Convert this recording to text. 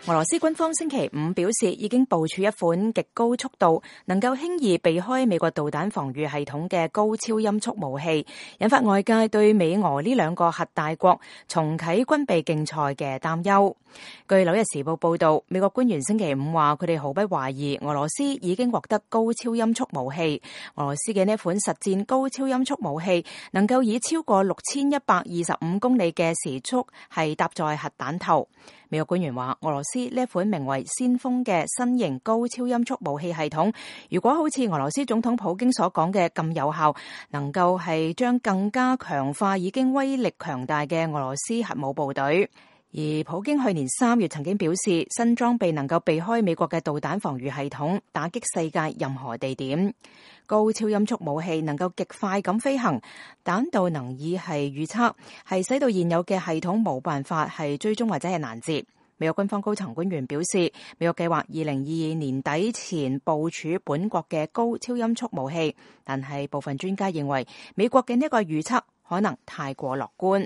俄羅斯軍方星期五表示，已經部署一款極高速度、能夠輕易避開美國導彈防禦系統嘅高超音速武器，引發外界對美俄呢兩個核大國重啟軍備競賽嘅擔憂。據紐約時報報道，美國官員星期五話，佢哋毫不懷疑俄羅斯已經獲得高超音速武器。俄羅斯嘅呢款實戰高超音速武器能夠以超過6125公里嘅時速係搭載核彈頭。美國官員話，俄羅斯呢一款名為先鋒嘅新型高超音速武器系統，如果好似俄羅斯總統普京所講嘅咁有效，能夠係將更加強化已經威力強大嘅俄羅斯核武部隊。而普京去年3月曾經表示，新裝備能夠避開美國嘅導彈防禦系統，打擊世界任何地點。高超音速武器能夠極快咁飛行，彈道能以係預測，係使到現有嘅系統冇辦法係追蹤或者係攔截。美國軍方高層官員表示，美國計劃2022年底前部署本國嘅高超音速武器，但係部分專家認為美國嘅呢個預測可能太過樂觀。